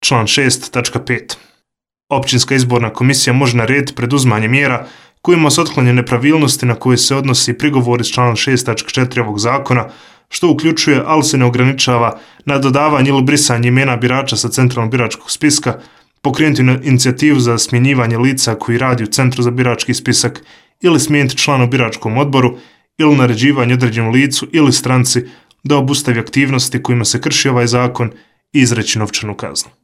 Član 6.5. Općinska izborna komisija može narediti preduzimanje mjera kojima se otklonje nepravilnosti na koje se odnosi prigovor iz člana 6.4 ovog zakona, što uključuje, ali se ne ograničava, na dodavanje ili brisanje imena birača sa centralnog biračkog spiska, pokrenuti inicijativu za smjenjivanje lica koji radi u Centru za birački spisak ili smijeniti člana u biračkom odboru ili naređivanje određenom licu ili stranci da obustavi aktivnosti kojima se krši ovaj zakon i izreći novčanu kaznu.